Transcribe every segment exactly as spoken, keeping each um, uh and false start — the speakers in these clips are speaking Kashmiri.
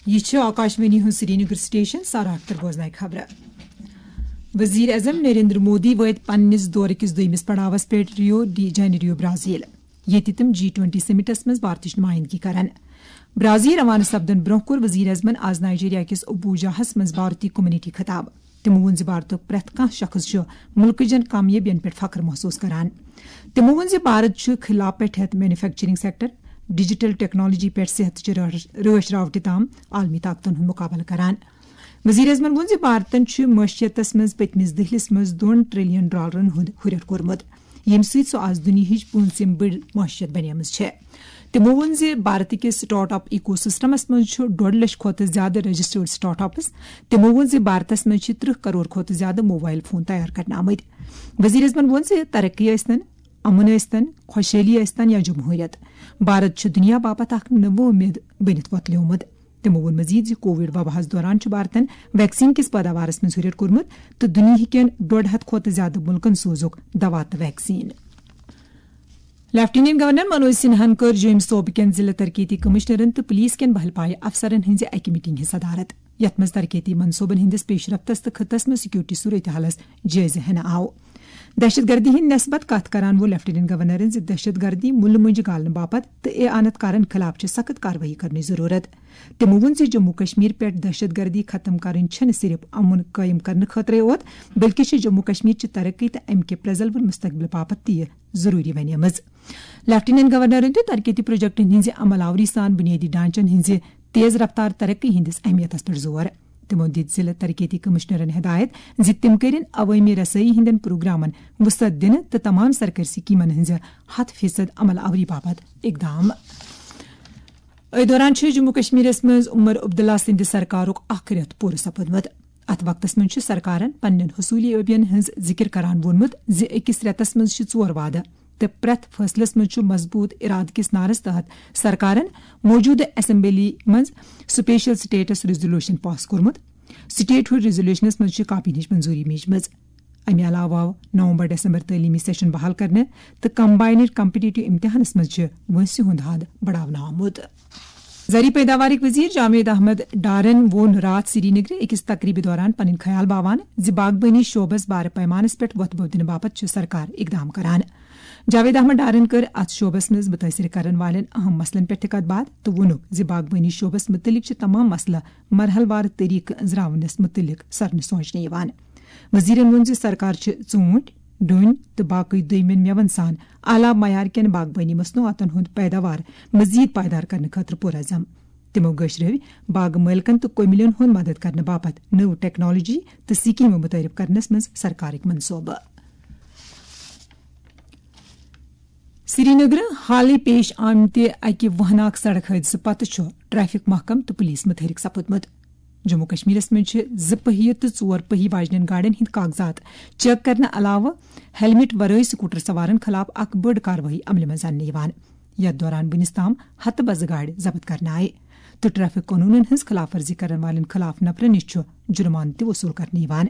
یہِ چھِ آکاشوانی ہُنٛد سرینگر سٹیشن، سارا اختر بوزناے خبرٕ۔ وزیر اعظم نریندر مودی وٲتۍ پننِس دورٕ کِس دوٚیمِس پڑاوس پٮ۪ٹھ ریو ڈی جینیریو، برازیل، ییٚتہِ تِم جی ٹوینٹی سمٹس منٛز بھارتٕچ نمائندگی کرن۔ برازیل روانہٕ سپدن برونٛہہ کوٚر وزیر اعظمن آز نائیجیریا کِس ابوجاہس منٛز بھارتی کمیونٹی خطاب۔ تِمو ووٚن زِ بھارتُک پرٛٮ۪تھ کانٛہہ شخص چھُ مُلکہٕ چٮ۪ن کامیٲبین پٮ۪ٹھ فخر محسوس کران۔ تِمو ووٚن زِ بھارت چھُ خلا پٮ۪ٹھ ہٮ۪تھ مینوفیکچرنگ سیکٹر، ڈیجیٹل ٹیکنالوجی پٮ۪ٹھ صحت چہِ رٲچھ-، رٲچھ راوٹہِ تام عالمی طاقتن ہُنٛد مُقابلہٕ کران۔ وزیر اعظمن ووٚن زِ بھارتن چھُ معیشتس منٛز پٔتمِس دٔہلِس منٛز دۄن ٹریلین ڈالرن ہُنٛد ہُرٮ۪ر کوٚرمُت، ییٚمہِ سۭتۍ سُہ آز دُنیاہٕچ پوٗنٛژِم بٔڑ معیشت بنیمٕژ چھےٚ۔ تِمو ووٚن زِ بھارت کِس سٹارٹ اپ ایکو سسٹمس منٛز چھُ ڈۄڈ لچھ کھۄتہٕ زیادٕ رجسٹرڈ سٹارٹ اپس۔ تِمو ووٚن زِ بھارتس منٛز چھِ ترٕٛہ کرور کھۄتہٕ زیادٕ موبائل فون تیار کرنہٕ آمٕتۍ۔ وزیر اعظمن ووٚن زِ ترقی ٲسۍتن، امن ٲسۍتن، خۄشحٲلی ٲسۍتن یا جمہوریت، بھارت چھُ دُنیا باپتھ اکھ نٔو وۄمید بٔنِتھ وۄتلیومُت۔ تِمو ووٚن مزید زِ کووڈ وباہس دوران چھُ بھارتن ویکسین کِس پیداوارس منٛز ہُرٮ۪ر کوٚرمُت تہٕ دُنیاہکٮ۪ن ڈۄڈ ہتھ کھۄتہٕ زیادٕ مُلکن سوزُکھ دوا تہٕ ویکسین۔ لیفٹیننٹ گورنر منوج سنہاہن کٔر جوٚمۍ صوبہٕ کٮ۪ن ضلع ترقیتی کمشنرن تہٕ پولیس کٮ۪ن بہل پایہِ افسرن ہٕنٛزِ اکہِ میٹنگ ہٕنٛز صدارت، یتھ منٛز ترقیتی منصوبن ہٕنٛدِس پیش رفتس تہٕ خطس منٛز سیکورٹی صورتحالس جٲیزٕ ہینہٕ آو۔ دہشت گردی ہٕنٛدِ نسبت کتھ کران ووٚن لیفٹیننٹ گورنرن زِ دہشت گردی مُلہٕ مٔنٛجہِ گالنہٕ باپتھ تہٕ اے آنت کارن خلاف چھِ سخت کاروٲیی کرنٕچ ضروٗرت۔ تِمو ووٚن زِ جموں کشمیر پٮ۪ٹھ دہشت گردی ختم کرٕنۍ چھَنہٕ صرف امن قٲیِم کرنہٕ خٲطرَے یوت، بلکہِ چھِ جموں کشمیر چہِ ترقی تہٕ امہِ کہِ پرٛزلوُن مستقبل باپتھ تہِ یہِ ضروٗری بنیمٕژ۔ لیفٹیننٹ گورنرن دیُت ترقیتی پروجیکٹن ہٕنٛزِ عمل آوری سان بنیٲدی ڈھانچن ہٕنٛزِ تیز رفتار ترقی ہٕنٛدِس اہمیتس پٮ۪ٹھ زور۔ تِمو دِتۍ ضلع ترقیتی کمشنرن ہدایت زِ تِم کٔرِن عوٲمی رسٲیی ہٕنٛدٮ۪ن پروگرامن وسعت دِنہٕ تہٕ تمام سرکٲرۍ سکیمن ہٕنٛزِ ہتھ فیصد عمل آوری باپتھ اقدام۔ أتھۍ دوران چھُ جموں کشمیرس منٛز عمر عبداللہ سٕنٛدِ سرکارُک اکھ رٮ۪تھ پوٗرٕ سپُدمُت۔ اتھ وقتس منٛز چھُ سرکارن پننٮ۪ن حصوٗلی ٲبین ہٕنٛز ذِکر کران ووٚنمُت زِ أکِس رٮ۪تس منٛز چھِ ژور وعدٕ تہٕ پرٛٮ۪تھ فٲصلس منٛز چھُ مضبوٗط ارادٕ کِس نعرس تحت سرکارن موجودٕ اسمبلی منٛز سپیشل سٹیٹس ریزولوشن پاس کوٚرمُت۔ سٹیٹ ہُڈ ریزولوشنس منٛز چھِ کاپی ہٕنٛز منظوٗری میجمٕژ۔ امہِ علاوٕ آو نومبر ڈسمبر تعلیمی سیشن بحال کرنہٕ تہٕ کمباینڈ کمپٹیٹو امتحانس منٛز چھِ وٲنٛسہِ ہُنٛد حد بڑاونہٕ آمُت۔ زرعی پیداوارٕکۍ وزیر جاوید احمد ڈارن ووٚن راتھ سری نگرٕ أکِس تقریبہِ دوران پنٕنۍ خیال باوان زِ باغبٲنی شعبس بارٕ پیمانس پٮ۪ٹھ وۄتھٕ بوٚو دِنہٕ باپتھ چھِ سرکار اقدام کران۔ جاوید احمد ڈارن کٔر اتھ شعبس منٛز مُتٲثر کرن والٮ۪ن اہم مسلن پٮ۪ٹھ تہِ کتھ باتھ تہٕ ووٚنُکھ زِ باغبٲنی شعبس مُتعلق چھِ تمام مسلہٕ مرحلہٕ وار طریقہٕ أنٛزراونس مُتعلق سرنہٕ سونچنہٕ یِوان۔ وزیرن ووٚن زِ سرکار چھِ ژوٗنٹھۍ، ڈوٗنۍ تہٕ باقٕے دوٚیمٮ۪ن مٮ۪وَن سان اعلیٰ معیار کٮ۪ن باغبٲنی مصنوعاتن ہُنٛد پیداوار مزید پائیدار کرنہٕ خٲطرٕ پُرعزم۔ تِمو گٔشرٲوۍ باغہٕ مٲلکن تہٕ کٔمِلٮ۪ن ہُنٛد مدد کرنہٕ باپتھ نٔو ٹیکنالوجی تہٕ سکیمہٕ متعارف کرنس منٛز سرکارٕکۍ منصوبہٕ۔ سرینگرٕ حالٕے پیش آمتہِ اکہِ وہناک سڑک حٲدثہٕ پتہٕ چھُ ٹریفک محکمہٕ تہٕ پولیس متحرک سپُدمُت۔ جموں کشمیرس منٛز چھِ زٕ پہیہِ تہٕ ژور پہیہِ واجنٮ۪ن گاڑٮ۪ن ہٕنٛدۍ کاغذات چیک کرنہٕ علاوٕ ہیلمٹ ورٲے سکوٹر سوارن خلاف اکھ بٔڑ کاروٲیی عملہِ منٛز اننہٕ یِوان، یتھ دوران وُنِس تام ہتہٕ بزٕ گاڑِ ضبط کرنہٕ آیہِ تہٕ ٹریفک قونوٗنن ہٕنٛز خلاف ورزی کرن والٮ۪ن خلاف نفرن نِش چھُ جُرمانہٕ تہِ وصوٗل کرنہٕ یِوان۔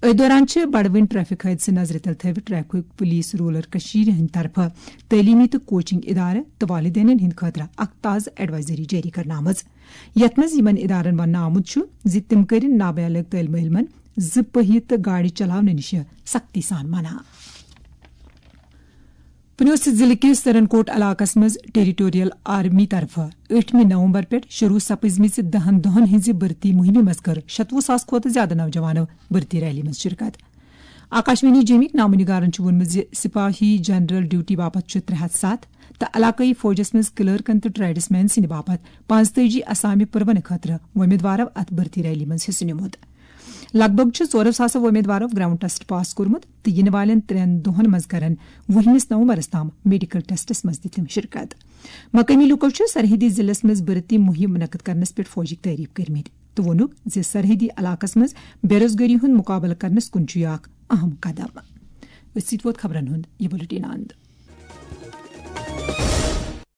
أتھۍ دوران چھِ بڑوٕنۍ ٹریفک حٲدثہٕ نظرِ تل تھٲوِتھ ٹریفک پولیس رولر کٔشیٖرِ ہٕنٛدِ طرفہٕ تعلیمی تہٕ کوچنگ ادارٕ تہٕ والدینن ہٕنٛدِ خٲطرٕ اکھ تازٕ ایڈوائزری جٲری کرنہٕ آمٕژ، یتھ منٛز یِمن ادارن وننہٕ آمُت چھُ زِ تِم کٔرِن نابالغ طٲلبہِ علمن زٕ پہیہِ تہٕ گاڑِ چلاونہٕ نِش سختی سان منع۔ پُنوسہِ ضلعہٕ کِس سرنکوٹ علاقس منٛز ٹیریٹوریل آرمی طرفہٕ ٲٹھمہِ نومبر پٮ۪ٹھ شروع سپٕزمٕژِ دَہن دۄہن ہٕنٛزِ بھرتی مُہِمہِ منٛز کٔر شتوُہ ساس کھۄتہٕ زیادٕ نوجوانو بھرتی ریلی منٛز شرکت۔ آکاشوانی جیمِکۍ نامہ نگارن چھُ ووٚنمُت زِ سپاہی جنرل ڈیوٹی باپتھ چھُ ترٛےٚ ہتھ ستھ تہٕ علاقٲیی فوجس منٛز کلرکن تہٕ ٹریڈسمین سٕنٛدِ باپتھ پانٛژتٲجی اسامہِ پُرونہٕ خٲطرٕ وۄمیدوارو اتھ بھرتی ریلی منٛز حصہٕ نیومُت۔ لگ بھگ چھُ ژورو ساسو وۄمیدوارو گراؤنڈ ٹیسٹ پاس کوٚرمُت تہٕ یِنہٕ والٮ۪ن ترٛٮ۪ن دۄہَن منٛز کرن وُہمِس نومبرَس تام میڈیکل ٹیسٹَس منٛز تہِ تِم شرکت۔ مقٲمی لوٗکَو چھُ سرحدی ضلعس منٛز بھرتی مُہِم منعقد کرنَس پٮ۪ٹھ فوجٕکۍ تعریف کٔرمٕتۍ تہٕ ووٚنُکھ زِ سرحدی علاقَس منٛز بے روزگٲری ہُنٛد مُقابلہٕ کرنَس کُن چھُ یہِ اکھ اہم قدم۔ أتھۍ سۭتۍ ووت خبرَن ہُنٛد یہِ بُلٹن اند۔